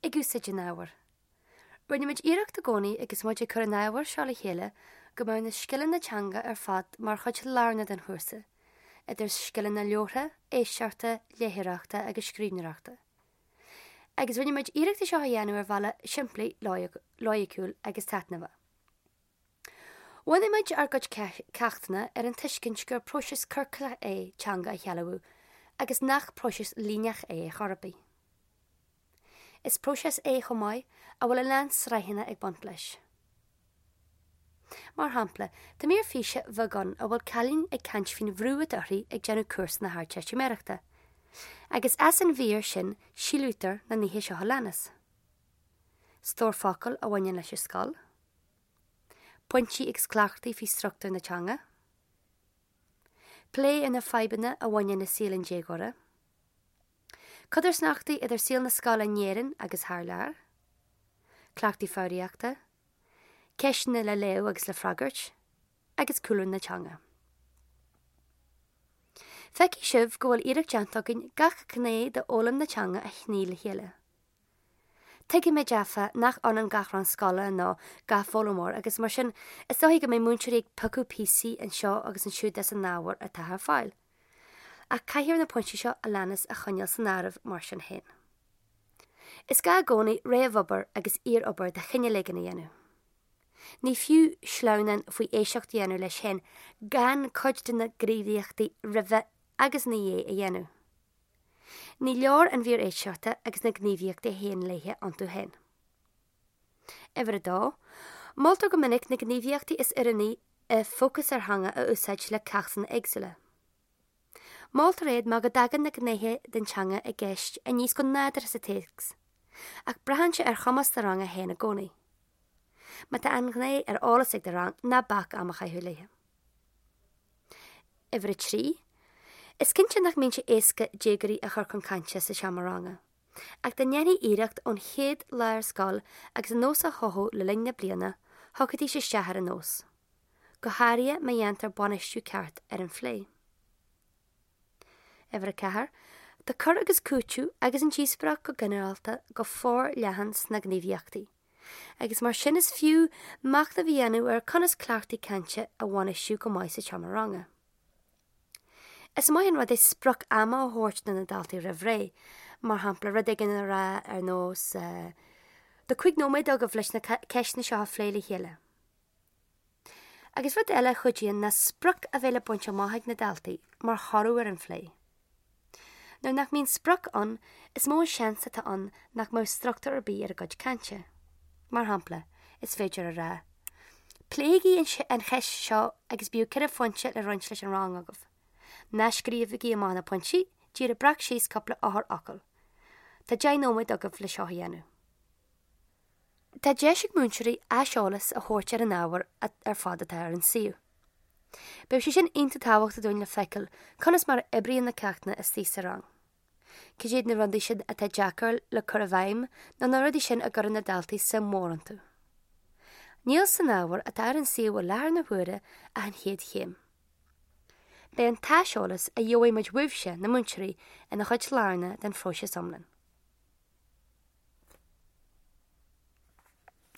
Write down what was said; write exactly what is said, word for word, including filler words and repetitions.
ag úsáid an ábhair. Rinne muid iarracht i gcónaí agus muid ag cur an ábhair seo le chéile go mbeadh na scileanna teanga ar fad mar chuid lárnach den chúrsa, idir scileanna labhartha, éisteachta, léitheoireachta agus scríbhneoireachta. Agus rinne muid iarracht é seo a dhéanamh ar bhealach simplí, loighciúil agus taitneamhach. Bhunaigh muid ár gcuid ceachtanna ar an tuiscint gur próiseas ciorclach é teanga a shealbhú agus nach próiseas líneach é ar chor ar bith. Is próiseas é chomh maith a bhfuil a lán sraitheanna ag baint leis. Mar shampla, tá mír físe bheag ann a bhfuil cailín ag caint faoin bhrú atá uirthi ag déanamh cúrsa na hArdteistiméireachta. Agus as an mhír sin síolraítear na nithe seo a leanas. Stór focal a bhaineann leis an scoil, pointí agus cleachtaí faoi struchtúr na teanga, plé ar na fadhbanna a bhaineann le saol an déagóra, Codarsnachtaí idir saol na scoile in Éirinn agus thar lear, cleachtaí foghraíochta, ceisteanna le léamh agus le freagairt, agus cúlra na teanga. Feicfidh sibh go bhfuil iarracht déanta againn gach gné d'fhoghlaim na teanga a shní le chéile. Tuigimid áfach nach ionann gach rang scoile nó gach foghlaimeoir agus mar sin is dóichí go mbeidh múinteoirí ag piocadh píosaí anseo agus ansiúd as an ábhar atá ar fáil. Ach caithfear na pointí seo a leanas a choinneáil san áireamh mar sin féin. Is gá i gcónaí réamhobair agus iarobair de chineál éigin a dhéanamh. Ní fiú sleamhnán faoi éisteacht a dhéanamh leis féin gan cuid de na gníomhaíochtaí roimhe agus ina dhiaidh a dhéanamh. Ní leor an mhír éisteachta agus na gníomhaíochtaí a théann léi iontu féin. Uimhir a dó, moltar go minic na gníomhaíochtaí is oiriúnaí i Fócas ar Theanga a úsáid le ceachtanna éagsúla. Moltar iad mar go dtagann na gnéithe den teanga i gceist aníos go nádúrtha sa téacs, ach braitheann sé ar chumas do ranga féin i gcónaí. Má tá an ghné ar eolas ag do rang ná bac am a chaitheamh léi. Uimhir a trí, Is cinnte nach mbíonn sé éasca déagóirí a chur chun cainte sa seomra ranga, ach dá ndéanfaí iarracht ón chéad lá ar scoil agus an nós a chothú le linn na bliana, thiocfaidís isteach ar an nós. Go háirithe má dhéantar bainistiú ceart ar an phlé. Uimhir a ceathair, Tá cur agus cúiteamh agus an díospóireacht go ginearálta go forleathan sna gníomhaíochtaí, agus mar sin is fiú machnamh a dhéanamh ar conas cleachtaí cainte a bhainistiú go maith sa tseomra ranga. Is maith an rud é sprioc ama a thabhairt do na daltaí roimh ré, mar shampla rud éigin a rá ar nós Tá cúig nóiméad agaibh leis na ceisteanna seo a phlé le chéile. Agus rud eile a chuidíonn ná sprioc a bheith le baint amach ag na daltaí mar thoradh ar an phlé. Nuair nach mbíonn sprioc ann, is mó seans atá ann nach mbeadh struchtúr ar bith ar a gcuid cainte. Mar shampla, is féidir a rá, Pléigí an cheist seo agus bíodh ceithre phointe le roinnt leis an rang agaibh. Ná scríobhaigí amach na pointí, díreach breac síos cúpla eochairfhocal. Tá deich nóiméad agaibh le seo a dhéanamh. Tá deis ag múinteoirí aiseolas a thabhairt ar an ábhar ar fad atá ar an suíomh. Beidh sé sin iontach tábhachtach dúinn le feiceáil conas mar a oibríonn na ceachtanna istigh sa rang. Cad iad na rudaí sin atá deacair le cur i bhfeidhm nó na rudaí sin a gcuireann na daltaí suim mhór iontu. Níl san ábhar atá ar an suíomh i láthair na huaire ach an chéad chéim. Beidh an t-aiseolas a gheobhaidh muid uaibhse na múinteoirí ina chuid lárnach den phróiseas iomlán.